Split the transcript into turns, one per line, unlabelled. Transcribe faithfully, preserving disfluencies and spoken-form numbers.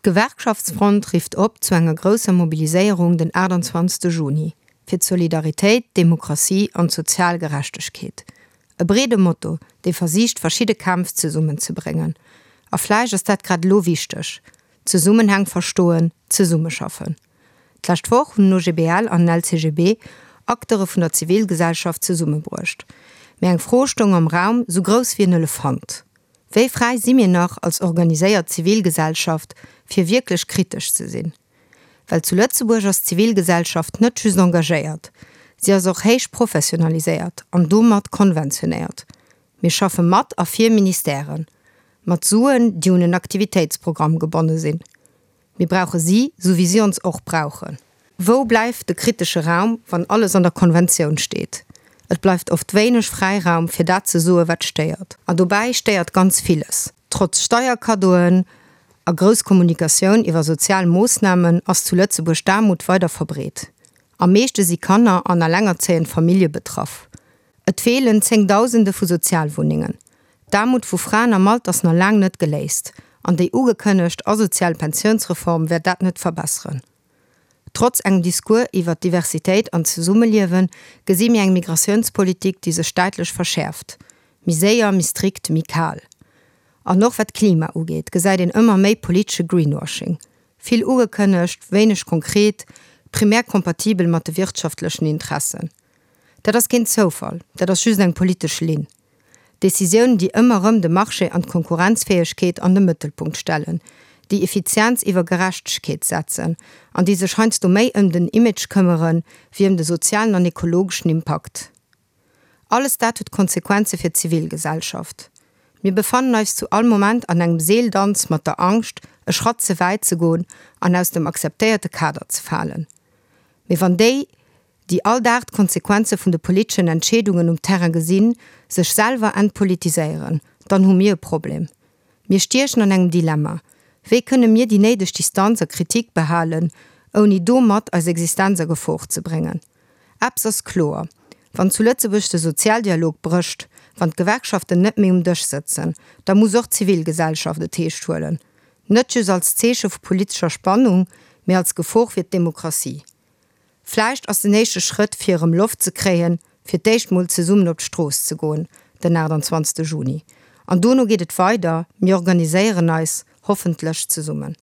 D'Gewerkschaftsfront rifft op zu enger grousser Mobiliséierung den achtundzwanzegste Juni, fir d'Solidaritéit, d'Demokratie an d'sozial Gerechtegkeet. E breede Motto, dee versicht verschidde Kämpf zesummenzebréngen. A vläicht ass dat grad elo wichteg, Zesummenhäng verstoen, zesummeschaffen. D'lescht Woch hunn den O G B L an den L C G B Acteure vun der Zivilgesellschaft zesummebruecht. Mee eng Fro stoung am Raum, sou grouss wéi en Elefant: Wéi fräi si mir nach als organiséiert Zivilgesellschaft, fir wierklech kritesch ze sinn? Well zu Lëtzebuerg ass d'Zivilgesellschaft net just engagéiert, si ass och héich professionaliséiert an domat konventionéiert. Mir schaffe mat a fir Ministèren, mat Suen, déi un en Aktivitéitsprogramm gebonne sinn. Mir brauche si, sou wéi si ons och brauchen. Wou bleift de kritesche Raum, wann alles an der Konventioun steet? Et bleift oft wéineg Fräiraum fir dat ze soe wat stéiert. An dobäi stéiert ganz villes. Trotz Steierkaddoen a grousser Kommunikatioun iwwer sozial Moossnamen ass zu Lëtzebuerg d'Aarmut weider verbreet. Am meeschte si Kanner an allengerzéiend Famillje betraff. Et feelen Zéngdausende vu Sozialwunnengen. D'Aarmut vu Fraen am Alter ass nach laang net geléist. An déi ugekënnegt asozial Pensiounsreform wäert dat net verbesseren. Trotz engem Discours iwwer Diversitéit an Zesummeliewen gesi mir eng Migratiounspolitik, déi sech däitlech verschäerft. Méi séier, méi strikt, méi kal. An och wat Klima ugeet, gesäit een ëmmer méi politesche Greenwashing. Vill ugekënnegt, wéineg konkret, primär kompatibel mat de wirtschaftlechen Interessen. Dat ass keen Zoufall, dat ass just eng politesch Linn. Decisiounen, déi ëmmer erëm de Marché an d'Konkurrenzfäegkeet an de Mëttelpunkt stellen, déi Effizienz iwwer Gerechtegkeet setzen, an déi sech heiansdo méi ëm den Image këmmeren, wéi ëm de sozialen an ekologeschen Impakt. Alles dat huet Konsequenze fir d'Zivilgesellschaft. Mir befannen eis zu all Moment an engem Seeldanz mat der Angscht, e Schratt ze wäit ze goen an aus dem akzeptéierte Kader ze falen. Mee wann déi, déi all Dag d'Konsequenze vun de politeschen Entscheedungen um Terrain gesinn, sech selwer entpolitiséieren, dann hu mir e Problem. Mir stiechen an engem Dilemma. Wéi kënne mir déi néideg Distanz a Kritik behalen, ouni domat eis Existenz a Gefor ze bréngen? Eppes ass kloer. Wann zu Lëtzebuerg de Sozialdialog brécht, wann d'Gewerkschaften net méi um Dësch sëtzen, da muss och d'Zivilgesellschaft et eescht huelen. Net just als Zeeche vu politescher Spannung, mee als Gefor fir d'Demokratie. Vläicht ass den éischte Schrëtt fir erëm Loft ze kréien, fir d'éischt mol zesummen op d'Strooss ze goen, den achtundzwanzegste Juni. An dono geet et weider, mir organiséieren eis hoffentlech zesummen.